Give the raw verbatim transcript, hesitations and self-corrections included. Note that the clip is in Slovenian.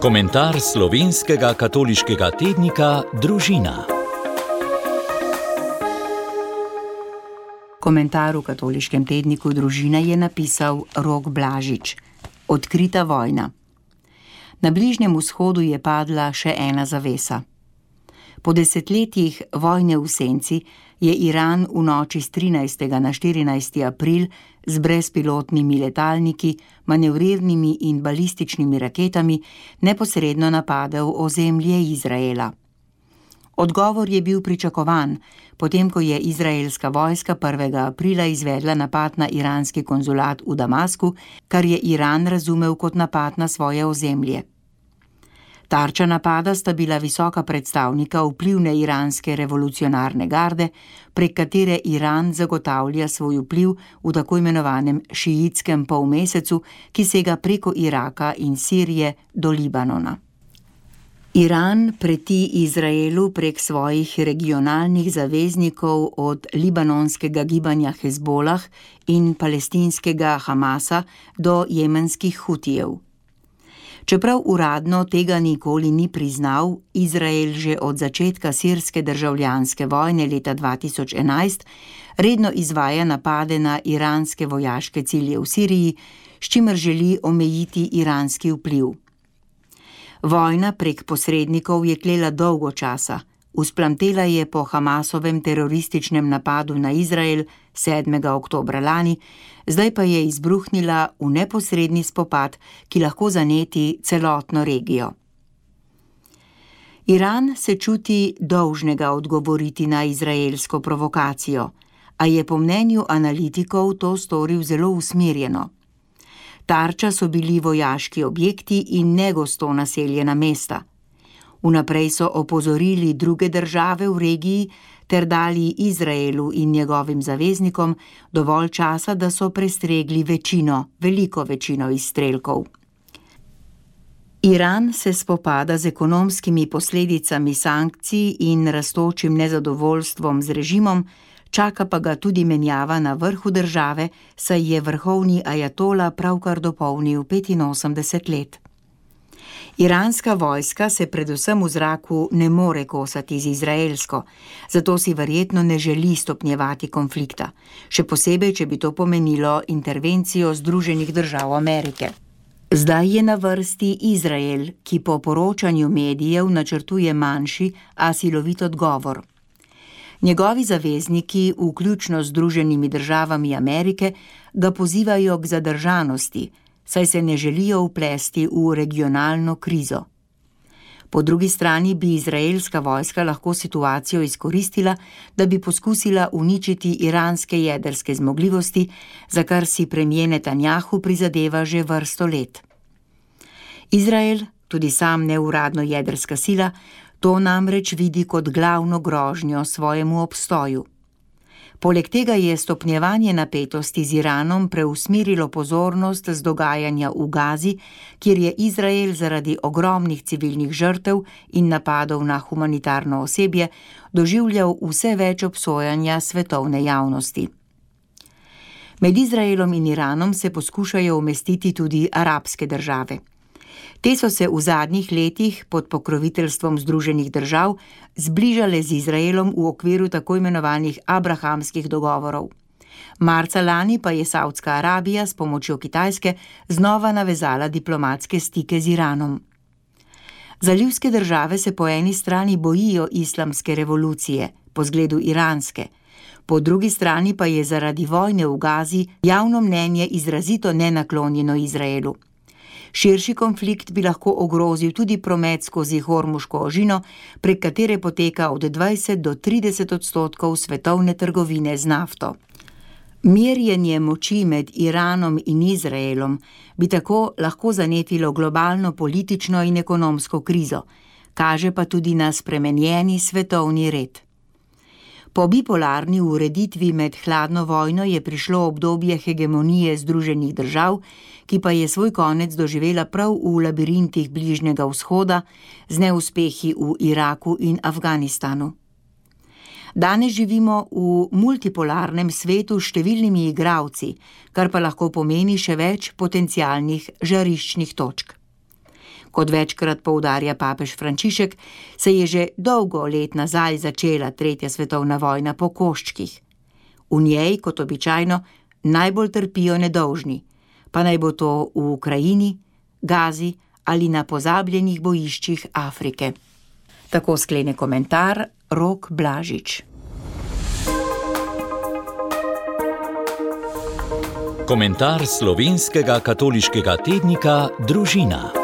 Komentar slovenskega katoliškega tednika Družina. Komentar v katoliškem tedniku Družina je napisal Rok Blažič. Odkrita vojna. Na Bližnjem vzhodu je padla še ena zavesa. Po desetletjih vojne v senci je Iran v noči s trinajstega na štirinajsti april z brezpilotnimi letalniki, manevrirnimi in balističnimi raketami neposredno napadel ozemlje Izraela. Odgovor je bil pričakovan, potem ko je izraelska vojska prvega aprila izvedla napad na iranski konzulat v Damasku, kar je Iran razumel kot napad na svoje ozemlje. Tarča napada sta bila visoka predstavnika vplivne iranske revolucionarne garde, prek katere Iran zagotavlja svoj vpliv v tako imenovanem šiitskem polmesecu, ki sega preko Iraka in Sirije do Libanona. Iran preti Izraelu prek svojih regionalnih zaveznikov od libanonskega gibanja Hezbolah in palestinskega Hamasa do jemenskih Hutijev. Čeprav uradno tega nikoli ni priznal, Izrael že od začetka sirske državljanske vojne leta dva tisoč enajst redno izvaja napade na iranske vojaške cilje v Siriji, s čimer želi omejiti iranski vpliv. Vojna prek posrednikov je tlela dolgo časa, vzplamtela je po Hamasovem terorističnem napadu na Izrael sedmega oktobra lani, zdaj pa je izbruhnila v neposredni spopad, ki lahko zaneti celotno regijo. Iran se čuti dolžnega odgovoriti na izraelsko provokacijo, a je po mnenju analitikov to storil zelo usmerjeno. Tarča so bili vojaški objekti in negosto naseljena mesta. Vnaprej so opozorili druge države v regiji ter dali Izraelu in njegovim zaveznikom dovolj časa, da so prestregli večino, veliko večino izstrelkov. Iran se spopada z ekonomskimi posledicami sankcij in rastočim nezadovoljstvom z režimom, čaka pa ga tudi menjava na vrhu države, saj je vrhovni ajatola pravkar dopolnil petinosemdeset let. Iranska vojska se predvsem v zraku ne more kosati z izraelsko, zato si verjetno ne želi stopnjevati konflikta, še posebej, če bi to pomenilo intervencijo Združenih držav Amerike. Zdaj je na vrsti Izrael, ki po poročanju medijev načrtuje manjši, a silovit odgovor. Njegovi zavezniki, vključno z Združenimi državami Amerike, ga pozivajo k zadržanosti, saj se ne želijo vplesti v regionalno krizo. Po drugi strani bi izraelska vojska lahko situacijo izkoristila, da bi poskusila uničiti iranske jedrske zmogljivosti, za kar si premier Netanjahu prizadeva že vrsto let. Izrael, tudi sam neuradno jedrska sila, to namreč vidi kot glavno grožnjo svojemu obstoju. Poleg tega je stopnjevanje napetosti z Iranom preusmerilo pozornost z dogajanja v Gazi, kjer je Izrael zaradi ogromnih civilnih žrtev in napadov na humanitarno osebje doživljal vse več obsojanja svetovne javnosti. Med Izraelom in Iranom se poskušajo umestiti tudi arabske države. Te so se v zadnjih letih pod pokroviteljstvom Združenih držav zbližale z Izraelom v okviru tako imenovanih abrahamskih dogovorov. Marca lani pa je Saudska Arabija s pomočjo Kitajske znova navezala diplomatske stike z Iranom. Zalivske države se po eni strani bojijo islamske revolucije, po zgledu iranske, po drugi strani pa je zaradi vojne v Gazi javno mnenje izrazito nenaklonjeno Izraelu. Širši konflikt bi lahko ogrozil tudi promet skozi Hormuško ožino, prek katere poteka od dvajset do trideset odstotkov svetovne trgovine z nafto. Merjenje moči med Iranom in Izraelom bi tako lahko zanetilo globalno politično in ekonomsko krizo, kaže pa tudi na spremenjeni svetovni red. Po bipolarni ureditvi med hladno vojno je prišlo obdobje hegemonije Združenih držav, ki pa je svoj konec doživela prav v labirintih Bližnjega vzhoda z neuspehi v Iraku in Afganistanu. Danes živimo v multipolarnem svetu s številnimi igralci, kar pa lahko pomeni še več potencialnih žariščnih točk. Kot večkrat poudarja papež Frančišek, se je že dolgo let nazaj začela tretja svetovna vojna po koščkih. V njej, kot običajno, najbolj trpijo nedolžni, pa naj bo to v Ukrajini, Gazi ali na pozabljenih bojiščih Afrike. Tako sklene komentar Rok Blažič. Komentar slovenskega katoliškega tednika Družina.